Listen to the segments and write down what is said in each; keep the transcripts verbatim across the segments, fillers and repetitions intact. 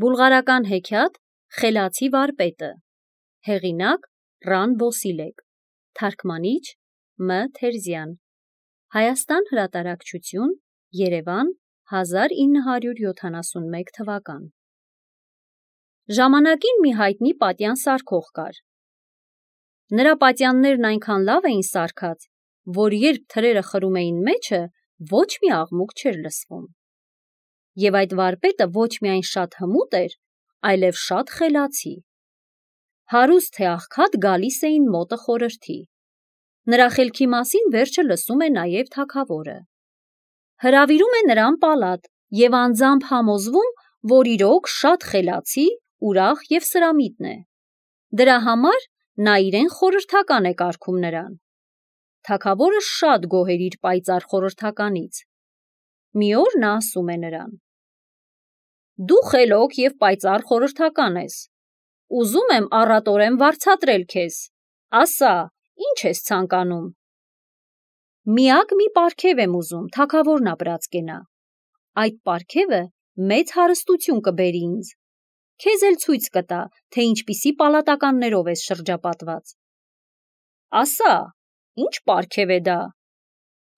Բուլղարական հեքիաթ Խելացի վարպետը, հեղինակ Ռան Բոսիլեկ, թարգմանիչ Մ. Թերզյան, Հայաստան հրատարակչություն, Երևան, հազար ինը հարյուր յոթանասունմեկ թվական։ Ժամանակին մի հայտնի պատյան սարքող կար։ Նրա պատյաններն այնքան լավ էին սարքած, որ երբ թրերը խրում էին մեջը, ոչ մի աղմուկ չէր լսվում։ Եվ այդ վարպետը ոչ միայն շատ հմուտ էր, այլև շատ խելացի։ Հարուստ թե աղքատ գալիս էին մոտը խորհրդի։ Նրա խելքի մասին վերջը լսում է նաև թագավորը։ Հրավիրում է նրան պալատ և անձամբ համոզվում, որ իրոք շատ խելացի, ուրախ և սրամիտ է։ Դրա համար նա իրեն խորհրդական է կարգում նրան։ Թագավորը շատ գոհ էր իր պայծառ խորհրդականից։ Մի օր նա ասում է նրան. «Դու խելոք և պայծառ խորհրդական ես։ Ուզում եմ առատորեն վարձատրել քեզ։ Ասա, ի՞նչ ես ցանկանում»։ «Միակ մի պարգև եմ ուզում, թագավորն ապրած կենա։ Այդ պարգևը մեծ հարստություն կբերի ինձ։ Քեզ էլ ցույց կտա, թե ինչպիսի պալատականներով ես շրջապատված»։ «Ասա, ի՞նչ պարգև է դա»,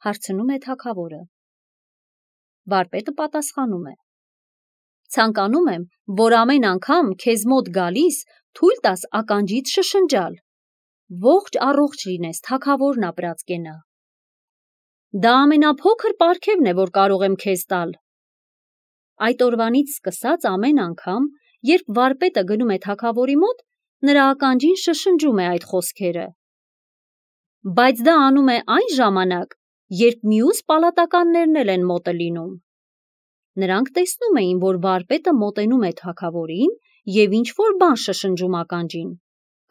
հարցնում է թագավորը։ Վարպետը պատասխանում է. «Ցանկանում եմ, որ ամեն անգամ քեզ մոտ գալիս թույլ տաս ականջիդ շշնջալ. ողջ առողջ լինես, թագավորն ապրած կենա»։ «Դա ամենափոքր պարգևն է, որ կարող եմ քեզ տալ»։ Այդ օրվանից սկսած ամեն անգամ, երբ վարպետը գնում է թագավորի մոտ, նրա ականջին շշնջում է այդ խոսքերը։ Բայց դա անում է այն ժամանակ, երբ մյուս պալատականներն էլ են մոտը լինում։ Նրանք տեսնում էին, որ վարպետը մոտենում է թագավորին և ինչ-որ բան շշնջում ականջին,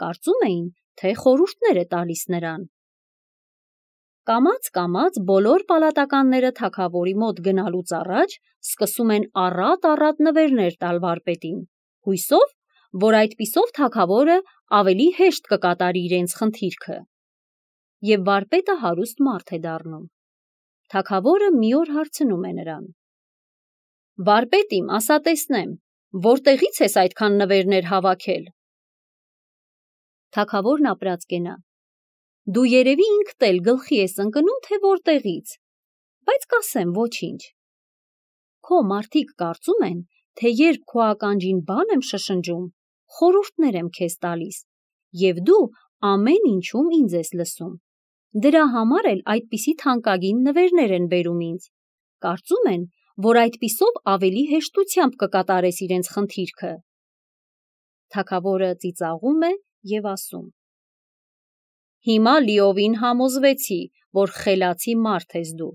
կարծում էին, թե խորհուրդներ է տալիս նրան։ Կամաց-կամաց բոլոր պալատականները թագավորի մոտ գնալուց առաջ սկսում են առատ-առատ նվերներ տալ վարպետին, հույսով, որ այդպիսով թագավորը ավելի հեշտ կկատարի իրենց խնդիրքը։ Եվ վարպետը հարուստ մարդ է դառնում։ Թագավորը մի օր հարցնում է նրան. «Վարպետ իմ, ասա տեսնեմ, որտեղից ես այդքան նվերներ հավաքել»։ Թագավորն ապրած կենա. «Դու երևի ինքդ էլ գլխի ես ընկնում, թե որտեղից, բայց կասեմ ոչինչ։ Քո մարդիկ կարծում են, թե երբ քո ականջին բան եմ շշնջում, խորհուրդներ եմ քեզ տալիս, և դու ամեն ինչում ինձ ես լսում։ Դրա համար էլ այդպիսի թանկագին նվերներ են բերում ինձ։ Կարծում են, որ այդպիսով ավելի հեշտությամբ կկատարես իրենց խնդիրքը»։ Թագավորը ծիծաղում է և ասում. «Հիմա լիովին համոզվեցի, որ խելացի մարդ ես դու։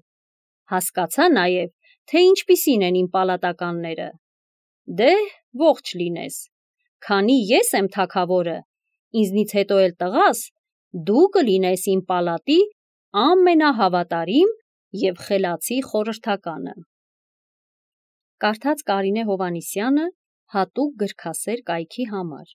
Հասկացա նաև, թե ինչպիսին են իմ պալատականները։ Դե, ողջ լինես։ Քանի ես եմ թագավորը, ինձնից հետո էլ տղաս, դու կլինես իմ պալատի ամենահավատարիմ և խելացի խորհրդականը»։ Կարդաց Կարինե Հովհաննիսյանը հատուկ գրքասեր կայքի համար։